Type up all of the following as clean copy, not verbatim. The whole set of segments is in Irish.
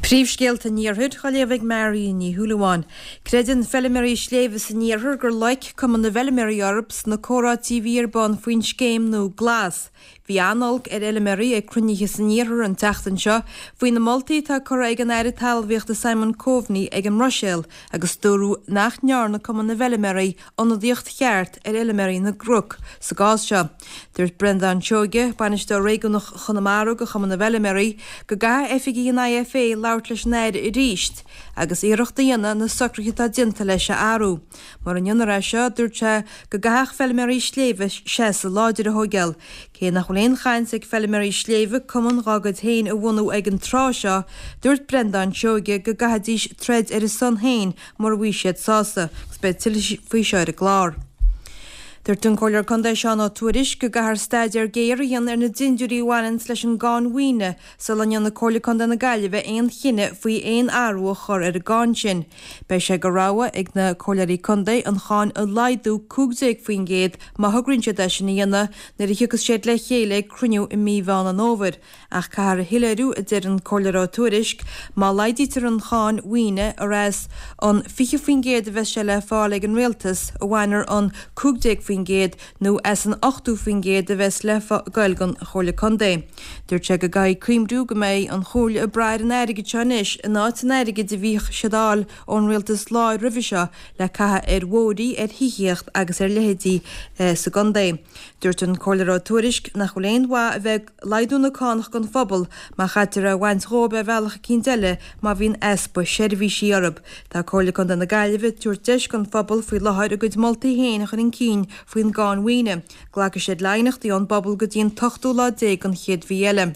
Príomhscéalta an Iarthair á léamh ag Marion Ní Shúilleabháin. Creideann feilméaraí sléibhe san iarthar gur loic Cumann na bhFeilméaraí orthu sna comhráití a bhí ar bun faoin scéim nua Glas. Bhí an-olc ar fheilméaraí ag cruinnithe san iarthar an tseachtain seo faoi na moltaí atá curtha ag an Aire Talmhaíochta Simon Coveney ag an mBruiséil agus dúradh nach ndearna Cumann na bhFeilméaraí ionadaíocht cheart ar fheilméaraí na gcnoc sa gcás seo. Dúirt Breandán Seoige, Bainisteoir Réigiúnach Chonamara do Chumann na bhFeilméaraí, go gcaithfidh oifigigh an IFA labhairt leis an Aire arís agus iarracht a dhéanamh na socruithe atá déanta leis a athrú. Mura ndéanfar é seo, dúirt sé go gcaithfeadh feilméaraí sléibhe seasamh láidir a thóigeáil. Cé nach bhfuil aon chaint ag feilméaraí sléibhe cumann dhá gcuid féin a bhunú ag an tráth seo, dúirt Breandán Seoige go gcaithfidís troid ar a son féin mura bhfaighidh siad sásamh, agus beidh tuilleadh faoi seo ar an gclár. Dúirt an Comhairleoir Contae Seán Ó Tuairisg go gcaithfear staidéar géar a dhéanamh ar na dindiúirí a bhaineanns leis an gcáin mhaoine sula ndéanfaidh Comhairle Contae na Gaillimhe aon chinneadh faoi aon athrú a chur ar an gcáin sin. Beidh sé de rogha ag na Comhairleoirí Contae an cháin a laghdú 15% má thograíonn siad é sin a dhéanamh nuair a thiocfas siad le chéile ag cruinniú i mí Mheán an Fhómhair. Ach caithfear a shoiléiriú, a deir an Comhairleoir Ó Tuairisg, má laghdaítear an cháin mhaoine, ar as an 20% a bheas sé le fáil ag an Rialtas a bhainfear an 15% nó as an 80% a bheas le goil don Chomhairle Contae. Dúirt sé go gcaithfidh cuimhniú go mbeidh an Chomhairle ag brath ar an airgead seo anois in áit an airgid a bhíodh siad a fháil ón Rialtas láir roimhe seo le caitheamh ar bhóithrí, ar thithíocht agus ar leithéidí sa gcontae. Dúirt an Comhairleoir Ó Tuairisg nach bhfuil aon mhaith a bheith ag laghdú na cánach don phobal má chaitear é a bhaint dhóibh ar bhealach eicínt eile má bhíonn easpa seirbhísí orthu. Tá Comhairle Contae na Gaillimhe ag tabhairt deis don phobal faoi láthair a gcuid moltaí féin a chur chun cinn faoin gcáin mhaoine. Glacfaidh siad le haighneachtaí ón bpobal go dtí an t-ochtú lá déag den chéad mhí eile.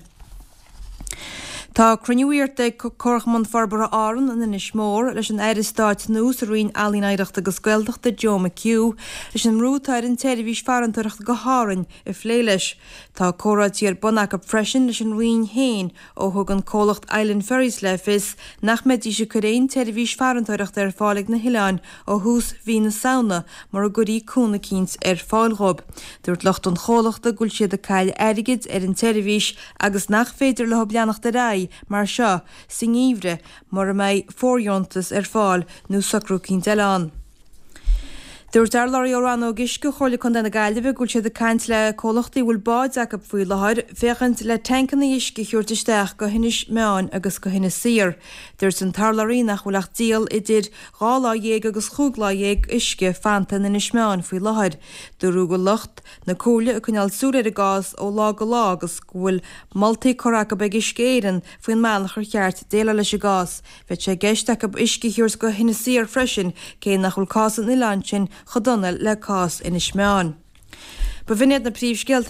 Tá cruinniú iarrta ag Comharchumann Forbartha Árann in Inis Mór leis an Aire Stáit nua sa Roinn Ealaíon Oidhreachta agus Gaeltachta Joe McHugh leis an mbrú atá ar an tseirbhís farantóireachta go hÁrainn a phlé leis. Tá comhráití ar bun acu freisin leis an Roinn féin ó thug an comhlacht Island Ferries le fios nach mbeidís ag cur aon tseirbhís farantóireachta ar fáil ag na hoileáin ó thús mhí na Samhna mura gcuirí cúnamh eicínt ar fáil dhóibh. Dúirt lucht an chomhlachta go bhfuil siad ag cailleadh airgid ar an tseirbhís agus nach féidir leo leanacht ar aghaidh mar seo sa ngeimhreadh mura mbeidh fóirdheontas ar fáil nó socrú eicínt eile ann. Dúirt urlabhraí ó Rannóg Uisce Chomhairle Contae na Gaillimhe go bhfuil siad ag caint le comhlachtaí a bhfuil báid acu faoi láthair féachaint le tancanna uisce a thabhairt isteach go hInis Meáin agus go hInis Oírr. Dúirt an t-urlabhraí nach bhfuil ach díol idir dhá lá dhéag agus chúig lá dhéag uisce fanta in Inis Meáin faoi láthair. Dúradh go bhfuil lucht na Comhairle ag coinneáil súil ar an gcás ó lá go lá agus go bhfuil moltaí curtha acu ag Uisce Éireann faoin mbealach ar cheart déileáil leis an gcás. Bheadh sé i gceist acu uisce a thabhairt go hInis Oírr freisin, cé nach bhfuil cás an oileáin sin chomh dona le cás Inis Meáin. B'in iad na príomhscéalta.